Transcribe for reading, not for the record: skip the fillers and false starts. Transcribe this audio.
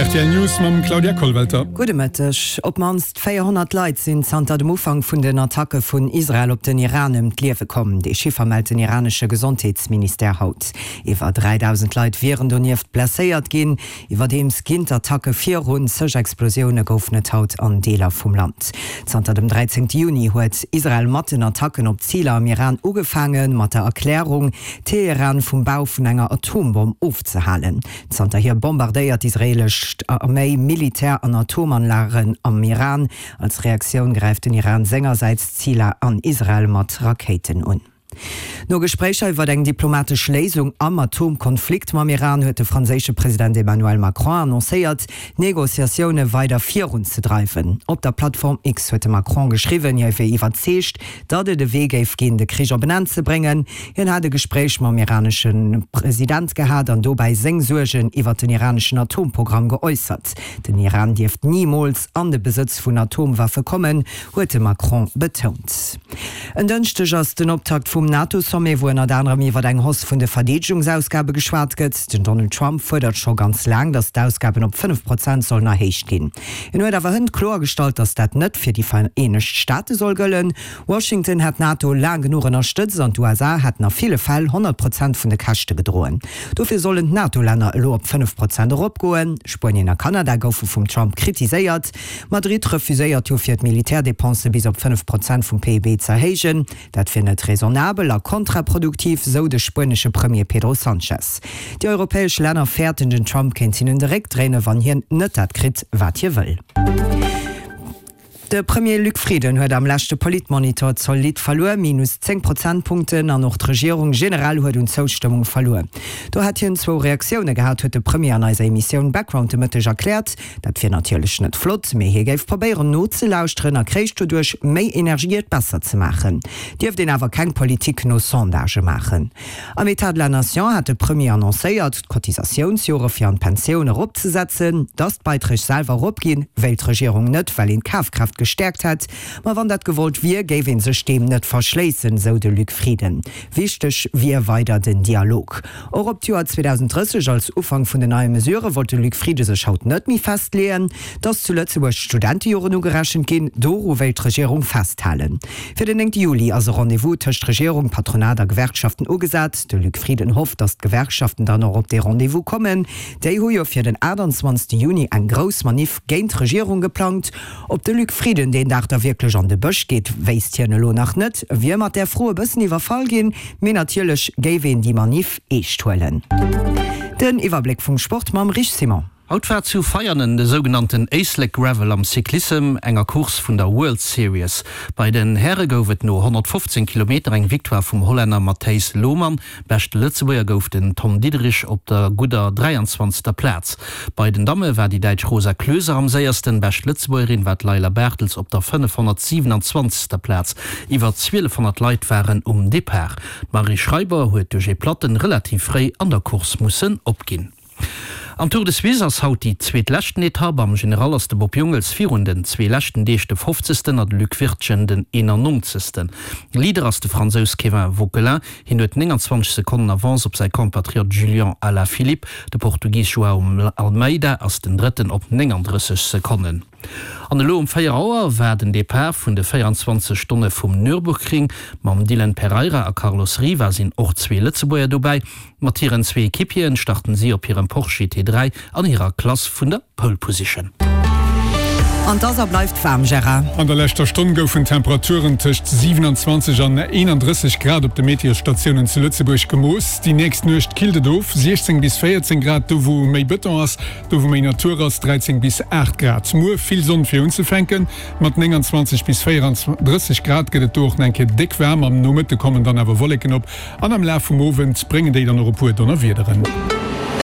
Rtl News mam Claudia Kollwelter. Gudde Mëtteg. Op d'mannst 400 Leit sinn zanter dem Ufank vun den Attacke vun Israel op den Iran ëm d'Liewe komm. Dee Chiffer mellt den iranesche Gesondheetsministère haut. Iwwer 3.000 Leit wieren donieft blesséiert ginn. Iwwerdeems ginn d'Attacke virun, Zeg Explosioune goufen et haut an Deeler vum Land. Zanter dem 13 Juni huet Israel mat den Attacken op Ziler am Iran ugefaangen, mat der Erklärung, Teheran vum Bau vun enger Atombomm ofzehalen. Zanterhier bombardéiert d'israeelesch Arméi Militär an Atomanlagen am Iran. Als Reaktioun gräift den Iran sengersäits Ziler an Israel mat Rakéiten un. No Gespréicher iwwer eng diplomatesch Léisung am Atomkonflikt mam Iran huet de franséische President Emmanuel Macron annoncéiert, d'Negociatioune weider virunzedreiwen. Op der Plattform X huet de Macron geschriwwen, hie wier iwwerzeegt, datt et e Wee géif ginn, de Krich op en Enn ze bréngen. Hien hat e Gespréich mam iranesche President gehat an dobäi seng Suergen iwwer den iraneschen Atomprogramm geäussert. Den Iran dierft nimools an de Besëtz vun Atomwaffe kommen, huet de Macron betount. En Dënschdeg ass den Optakt vum NATO-Sommet, wou ënnert anerem iwwer eng Hausse vun de Verdeedegungsausgabe geschwat gëtt. Den Donald Trump fuerdert scho ganz laang, datt d'Ausgaben op 5 Prozent sollen erhéicht ginn. Hien huet awer hënt kloergestallt, datt dat net fir déi Vereenegt Staate soll gëllen. Washington hätt d'NATO laang genuch ënnerstëtzt an d'USA hätten a ville Fäll 100 Prozent vun de Käschte gedroen. Dofir sollen d'NATO-Länner elo op 5 Prozent eropgoen. Spuenien a Kanada goufe vum Trump kritiséiert. Madrid refuséiert jo fir d'Militärdepense bis op 5 Prozent vum PIB z'erhéijen. Dat wier net raisonnabel a kontraproduktiv, sou de spuenesche Premier Pedro Sanchez. Déi europäesch Länner fäerten, den Trump kéint hinnen de Réck dréinen, wann hien net dat kritt, wat hie wëll. De Premier Luc Frieden huet am leschte Politmonitor zolidd verluer, minus 10 Prozentpunkten, an och d'Regierung generell huet un Zoustëmmung verluer. Do hätt hien zwou Reaktioune gehat, huet de Premier an eiser Emissioun Background de Mëtteg erkläert. Dat wier natierlech net flott, mee hie géif probéieren nozelauschteren a kréich doduerch méi Energie et besser ze maachen. Dierft een awer keng Politik no Sondagë maachen. Am Etat de la Nation hat de Premier annoncéiert, d'Cotisatiounsjore fir an d'Pensioun eropzesetzen. Datt d'Beiträg selwer eropginn, wéilt d'Regierung net, well een d'Kafkraaft gestäerkt hätt. Ma wann dat gewollt wier, géif ee sech deem net verschléissen, sou de Luc Frieden. Wichteg wier weider den Dialog. Och op d'Joer 2030 als Ufank vun den neie Mesurë wollt de Luc Frieden sech haut net méi festleeën. Datt zu Lëtzebuerg d'Studentejoren ugerechent ginn, doru wéilt d'Regierung festhalen. Fir den 9 Juli ass e Rendez-vous tëscht Regierung, Patronat a Gewerkschaften ugesat. De Luc Frieden hofft, datt d'Gewerkschaften dann och op dee Rendez-vous kommen. Déi hu jo fir den 28 Juni eng grouss Maniff géint d'Regierung geplangt. Ob de Luc Frieden deen Dag da wierklech an de Bësch geet, wéisst hien elo nach net. Wier mat där Fro e bëssen iwwerfall ginn, mee natierlech géif een déi Maniff eescht huelen. Den Iwwerbléck vum Sport mam Rich Simon. Haut war zu Veianen de sougenannten Éislek Gravel am Cyclissem, enger Course vun der World Series. Bei den Häre gouf et no 115 Kilometer eng Victoire vum Hollänner Matthijs Lohmann. Beschte Lëtzebuerger gouf den Tom Diederich op der gudder 23. Plaz. Bei den Damme war déi Däitsch Rosa Klöser am séiersten. Bescht Lëtzebuergerin war d'Leila Bartels op der 527. Plaz. Iwwer 1200 Leit waren um Depart. D'Marie Schreiber huet duerch ee Platten relativ fréi an der Course mussen opginn. Am Tour de Suisse ass haut déi zweetleschten Etapp. Am General ass de Bob Jungels virun den zwee leschten Deeg de fofzegsten a de Luc Wirtgen den 91. Leader ass de Fransous Kévin Vauquelin. Hien huet 29 Sekonnen Avance op säi Compatriot Julian Alaphilippe. De Portugis Joao Almeida ass den Drëtten op 39 Sekonnen. An elo um 4 Auer war den Depart vun de 24 Stonne vum Nürburgring. Mam Dylan Pereira a Carlos Riva sinn och zwee Lëtzebuerger dobäi. Mat hiren zwee Equipieren starten si op hirem Porsche GT3 an hirer Klass vun der Pole Position. An 't ass a bleift waarm, Gérard. An der leschter Stonn goufen Temperaturen tëscht 27 an 31 Grad op de Meteosstatiounen zu Lëtzebuerg gemooss. Déi nächst Nuecht killt et of, 16 bis 14 Grad do wou méi Bëton ass, do wou méi Natur ass 13 bis 8 Grad. Muer vill Sonn fir unzefänken, mat 29 bis 34 Grad gëtt et do och nach eng Kéier déck waarm. Am Nomëtte kommen dann awer Wolleken op An am Laf vum Owend bréngen déi dann och e puer Donnerwiederen.